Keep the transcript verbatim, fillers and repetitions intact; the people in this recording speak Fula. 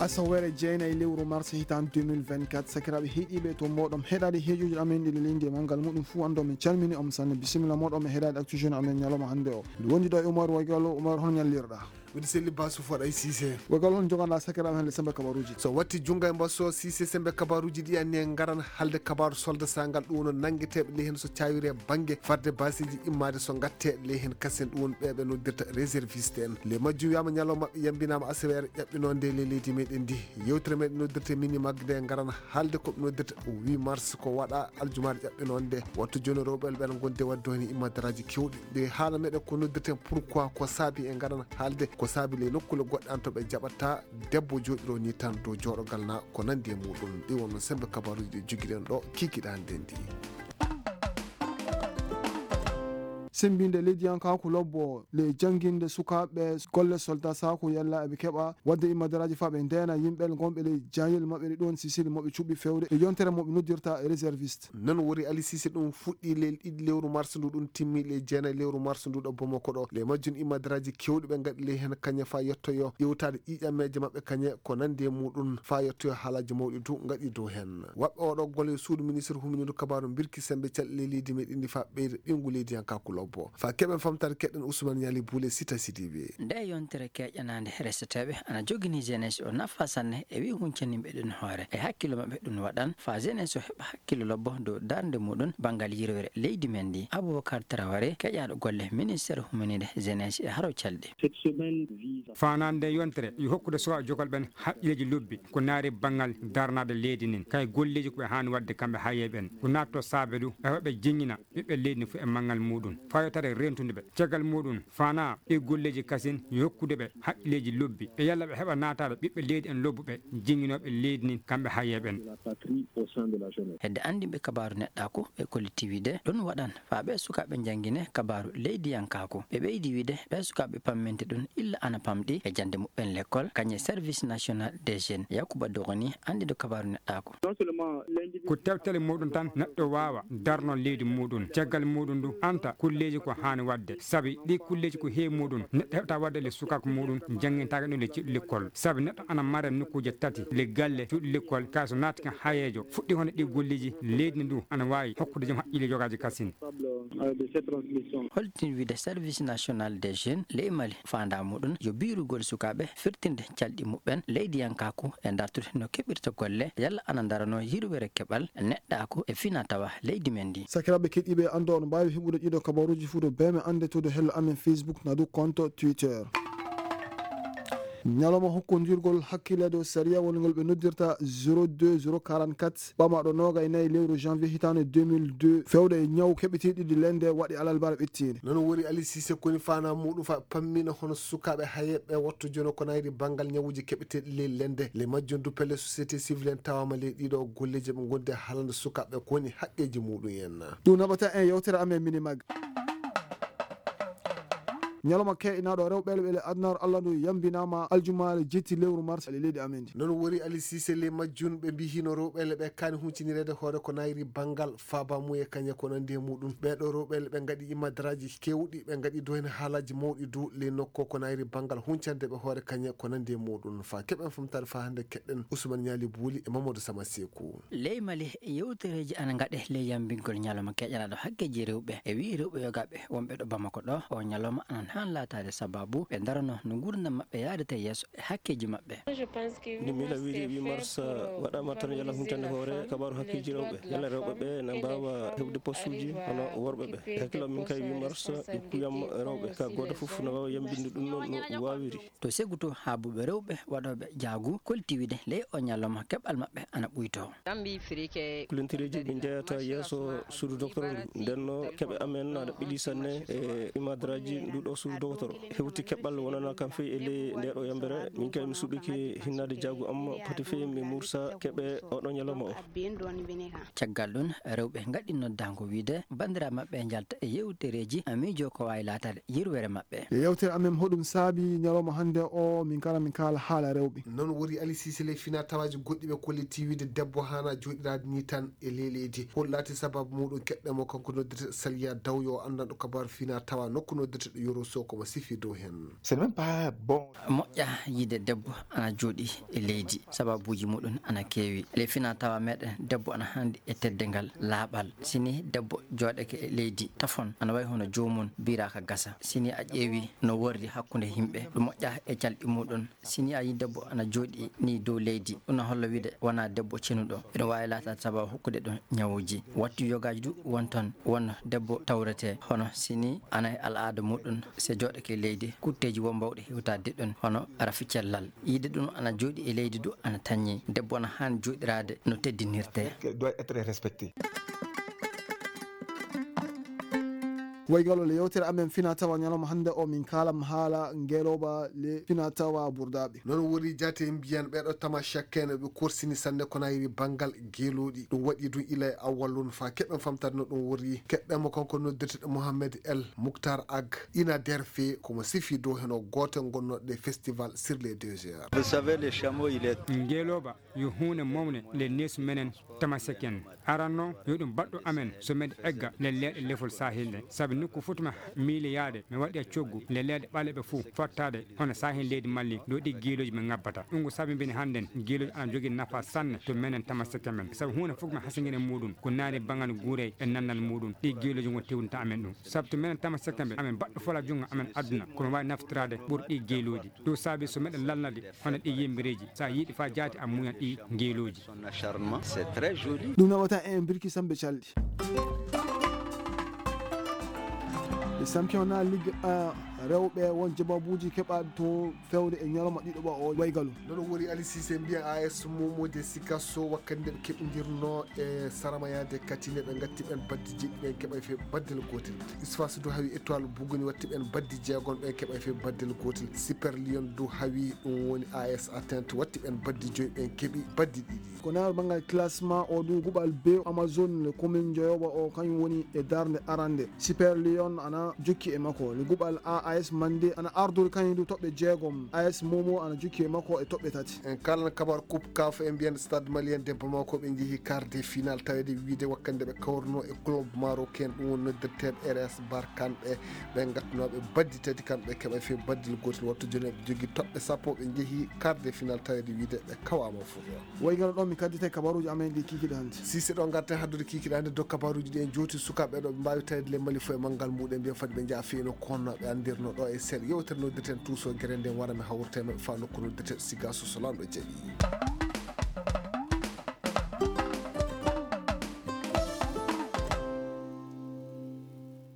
Asawere jeenayi lewru mars hitaan deux mille vingt-quatre, sakiraaɓe heɗiiɓe to mboɗon heɗaade heejoji amen ɗi leydi e manngal muɗum fuu, anndo min calmini on sanne, bisimilla moɗon e heɗaade Actu Jeune amen ñalawma hannde o. Mi wondi ɗo e Umar Wagalo. Umar, hol ñallirɗa? Miɗo selli Basu Foɗa e Sise. Wagalo, hol joganɗa sakiraaɓe hannde sembe kabaruuji? So watti junngo e mbaso Sise, sembe kabaruuji ɗi anni en ngaran haalde kabaaru soldat sangal ɗum woni nanngeteeɓe ley heen so caawiri e bannge fadde baasiiji immaade so ngatte ley heen kasen ɗum woni ɓeeɓe noddirta réserviste en. Ley majjum wiyama ñalawma maɓɓe yambinama aseweere ƴaɓɓinonde ley leydi meɗen ndi. Yewtere meɗen noddirte mini magde ngaran haalde ko ɓe noddirta huit mars ko waɗa aljumaare ƴaɓɓinonde. Wattu jooni rewɓe ɓen gonde wadde heen immadaraaji kewɗi. Nde haala meɗen ko noddirten pourquoi, ko saabi en ngaran haalde ko saabi ley nokkule goɗɗe an to ɓe jaɓata debbo jooɗiro ni tan dow jooɗogal na ko nandi e muɗum. Ɗi wonno sembe kabaruuji ɗi jogiɗen ɗo kikiɗe hannde ndi. Sembinde leydiyankaaku lobbo le jannginde sukaaɓe golle soldat saako yalla eɓe keɓa wadde immadaraaji faa ɓe ndeena yimɓe gonɓe ley jaayel maɓɓe ɗi ɗoon sisili moɓe cuɓɓi fewde e yontere moɓe noddirta réserviste. Noon wori Ali Sise ɗum fuɗɗi ley ɗiɗi lewru mars ndu ɗum timmi ley jeenayi lewru mars ndu ɗo Bamako ɗo. Ley majjum immadaraaji kewɗi ɓe ngaɗi ley heen kañe faa yettoyo ƴeewtaade ƴiiƴameeje maɓɓe kañe ko nandi e muɗum faa yettoyo haalaaji mawɗi du ngaɗi dow heen. Waɓɓe oɗo golle suudu ministre humindu kabaaru mbirki sembe calɗi ley leydi meɗen ndi faa ɓeyda ɓeyngu leydiyankaaku lobbo. Faa keɓen famtaade keɗen Ousmane Ñaali Buule Sita Sidibe. Nde yontere keƴanaande reseteeɓe ana jogini jeunesse o nafa sanne e wi huncaninɓe ɗum hoore e hakkillo maɓɓe ɗum waɗan faa jeunesse o heɓa hakkillo lobbo dow darnde muɗum banngal yirwere leydi men ndi. Aboubacar Traoré keƴaaɗo golle ministère huminide jeunesse e haro calɗi. Cette semaine vise à Faandaare nde yontere yo hokkude suwaa jogol ɓen haqqilleeji lobbi ko naari banngal darnaade leydi nin kay golleeji ko ɓe haani waɗde kamɓe hayeeɓe ɓen ko naatto saabe du e hoɓe jeññina ɓiɓɓe leydi ndi fof e manngal muɗum fayotare rentude ɓe caggal muɗum faanaa ɗi golleeji kasin yo hokkude ɓe haqqilleeji lobbi e yalla ɓe heɓa naataade ɓiɓɓe leydi en lobbuɓe jeññinooɓe leydi ndi kamɓe hayeeɓe ɓen. De la patrie au sein de la jeunesse. Hedde anndinɓe kabaaru neɗɗaaku ɓe kolliti wiide ɗum waɗan faa ɓee sukaaɓe njanngine kabaaru leydiyankaaku. Ɓe ɓeydi wiide ɓee sukaaɓe pamminte ɗum illa ana pamɗi e jannde muɓɓen lekkol kañe service national des jeunes. Yakuba Dogoni anndiiɗo kabaaru neɗɗaaku. Ko tewtele muɗum tan neɗɗo waawa darno leydi muɗum caggal muɗum du anta kulleeji ko haani waɗde sabi ɗi kulleeji ko heewi muɗum neɗɗo heɓta waɗde le sukaaku muɗum janngintaake ɗum le ceɗu lekkol sabi neɗɗo ana mare nokkuuje tati le galle cuuɗi lekkol kay so naati kan hayeejo fuɗɗi hono ɗi golleeji leydi ndi du ana waawi hokkude joom haqqille jogaaji kasin. Holtin wiide service national des jeunes ley Mali faandaa muɗum yo biirugol sukaaɓe firtinde calɗi muɓɓen leydiyankaaku e dartude no keɓirta golle yalla ana darano yirwere keɓal neɗɗaaku e fina tawa leydi men ndi. Sakiraaɓe keɗiiɓe anndo on mbaawi heɓude ɗiɗo kabaruuji fuu to beeme annde to do hello amen Facebook na du compte Twitter. Ñalawma hokkondirgol hakkille dow sariya wonngol ɓe noddirta zéro deux zéro quarante-quatre ɓamaɗo noogay nayi lewru janvier hitaande deux mille deux fewde e ñaw keɓeteeɗi ɗi lende waɗi alalbara ɓettiinde. Noon wori Ali Sise koni faanaa muɗum fa pammina hono sukaaɓe hayeeɓe wattu jono ko nayri banngal ñawuuji keɓeteeɗi ley lende le majjum du pelle société civile en tawama ley ɗiɗo golleeji ɓe gondi e haalande sukaaɓe ko woni haqqeeji muɗum en. Ɗum naɓata en yewtere amen mini mag. Ñalawma ke'inaaɗo rewɓe le adunaaru Allah ndu yambinaama aljumaare jetti lewru mars e leydi amen ndi. Noon wori Ali Sise le majjum ɓe mbiyi hino rewɓe le ɓe kaani huncinireede hoore ko nayri banngal faabamuye kañe ko nandi e muɗum ɓeeɗo rewɓe le ɓe ngaɗi imadaraaji kewɗi ɓe ngaɗi dow heen haalaaji mawɗi du le nokko ko nayri banngal huncande ɓe hoore kañe ko nandi e muɗum faa keɓen famtaade faa hannde keɗɗen Ousmane Ñaali Buuli e Mamadou Sama Seeku. Ley Mali yewtereeji ana ngaɗe ley yambingol ñalawma keƴanaaɗo hakkeeji rewɓe e wi'i rewɓe yogaaɓe wonɓe ɗo Bamako ɗo o ñalawma ana haan laataade sababu ɓe ndarano no nguurndam maɓɓe yaadata yeeso e hakkeeji maɓɓe. Nde miila wiide huit mars waɗaama tan yalla huncande hoore kabaaru hakkeeji rewɓe yalla rewɓe ɓe na mbaawa heɓde postuuji hono worɓe ɓe e hakkillo min kay huit mars ɓe kuyam rewɓe ka gooto fof na waawa yambinde ɗum noon no waawiri. To Segutu haabuɓe rewɓe waɗooɓe jaagu kolti wiide ley o ñalawma keɓal maɓɓe ana ɓuytoo. Kulentereeji ɓe njeyata yeeso suudu docteur ndu ndenno keɓe amen aɗa ɓili sanne e imadaraaji ndu ɗo suudu docteur hewti keɓal wonana kam fey e ley nde ɗo yambere min kay mi suɓike hinnaade jaagu am poti fey mi mursa keɓe oɗo ñalawma o. Caggal ɗum rewɓe ngaɗi noddaango wiide banndiraaɓe maɓɓe njalta e yewtereeji miijo ko waawi laataade yirwere maɓɓe. E yewtere amen hoɗum saabi ñalawma hannde o min kala min kaala haala rewɓe. Noon wori Ali Sise ley fina tawaaji goɗɗi ɓe kolliti wiide debbo haana jooɗiraade ni tan e ley leydi hol laati sababu muɗum keɗɗe mo kanko noddirte Saliya Daw yo anndanɗo kabaaru fina tawa nokku noddirte ɗo Yoro So ko mo sifi dow heen. C'est même pas bon. Moƴƴa yiide debbo ana jooɗi e leydi, sababuuji muɗum ana keewi. Ley fina tawa meɗen, debbo ana handi e teddungal, laaɓal. Sini debbo jooɗake e leydi, tafon ana wayi hono joomum biraaka gasa. Sini a ƴeewi no worri hakkunde yimɓe, ɗum moƴƴa e calɗi muɗum. Sini a yi debbo ana jooɗi ni dow leydi, ɗum na holla wiide wona debbo cenuɗo. Ina waawi laataade sababu hokkude ɗum ñawuuji. Wattu yogaaji du won toon, won debbo tawretee, hono sini ana e al'aada muɗum, se jooɗake leydi, kutteeji wo mbawɗe hewtaade ɗum, hono rafi cellal. Yiide ɗum ana jooɗi e leydi du ana tañi. Debbo ana haani jooɗiraade no teddinirtee. Doit être respecté. Waygalo le yewtere amen fina tawa ñalawma hannde o, min kaalam haala ngelooba le fina tawa burdaaɓe. Noon woni jaate mbiyan ɓeeɗo tama cakkeene ɓe korsini sanne ko nayi banngal geelooɗi. Ɗum waɗi ɗum ila e awwal lun faa keɓen famtade no ɗum woni. Keɓɓe mo kanko noddirteɗo Mohamed El Muktar Ag ina derfe ko mo sifi dow heno goote ngonnooɗe festival sur les deux heures. Vous savez, le chameau, il est Ngelooba yo huunde mawne le nees menen Tamasek en. Aran noon yo ɗum baɗɗo amen so meɗe egga le leeɗe lefol sahil ɗe. Sabi nokku fof to mi miili yaade, mi waɗi e coggu le leeɗe ɓaleɓe fof fottaade hono sahil leydi Mali ɗo ɗi giilooji ɓe ngabbata. Ɗum ko sabi mbini hannden giilooji ana jogii nafa sanne to menen Tamasek men. Sabi huunde fof mi hasingina e muɗum ko naani bangal guurey e nannal muɗum ɗi giilooji ngon tewninta amen ɗum. Sabu to menen Tamasek men amen baɗɗo fola junngo amen aduna ko mi waawi naftiraade ɓuri ɗi giilooji. Ɗum saabi so meɗen lalnade hono ɗi yimbireeji, so a yiɗi faa jaati a muñan ɗi ngeelooji. Son acharnement, c'est très joli. Ɗum naɓata en birki sambe calɗi. E championnat Ligue un rewɓe, won jababuuji keɓaaɗi to fewde e ñalawma ɗiɗo ɓa o waygalu. Nono woni Ali Cissé mbiya A S Momo de Sikasso wakkati nde ɓe keɓindirno e Saramayade Katine ɓe ngatti ɓen baddi jeɗɗi ɓen keɓay fe baddel gotel. Isfas du hawi Étoile Buguni watti ɓen baddi jeegom ɓen keɓay fe baddel gotel. Super Lion du hawi ɗum woni A S Atteinte watti ɓen baddi joyi ɓen keɓi baddi ɗiɗi. Ko naaru banngal classement o du guɓal B Amazon le commune joyoɓa o kañum woni e darnde arande. Super Lion ana jokki e makko. Le guɓal A A S Mande ana ardori kañum du toɓɓe jeegom. A S Momo ana jokki e makko e toɓɓe tati. En kalan kabar Coupe CAF e mbiyen Stade Malien de Bamako ɓe njehi quart de finale tawede wiide wakkande ɓe kawruno e club marocain ɗum woni noddirteeɓe R S Barkhane ɓe ɓe ngattunooɓe baddi tati kamɓe keɓa fe baddil gotel wattu joni ɓe jogi toɓɓe sappo ɓe njehi quart de finale tawede wiide ɓe kawama fof. Waygano ɗon mi kaddite kabaruji amen ɗi kikiɗe hannde. Sise ɗo garten haddude kikiɗe hannde dow kabaruji ɗi en jowti sukaaɓe ɗo ɓe mbawi tawede le Mali fof e manngal muɗum mbiyen fadi ɓe jaa fino konno ɓe andirno ɗo e seeɗa yewtere noddirten tuuso gere nden wara mi hawrte maɓɓe fa nokku noddirten siga so solanɗo jaaɓi.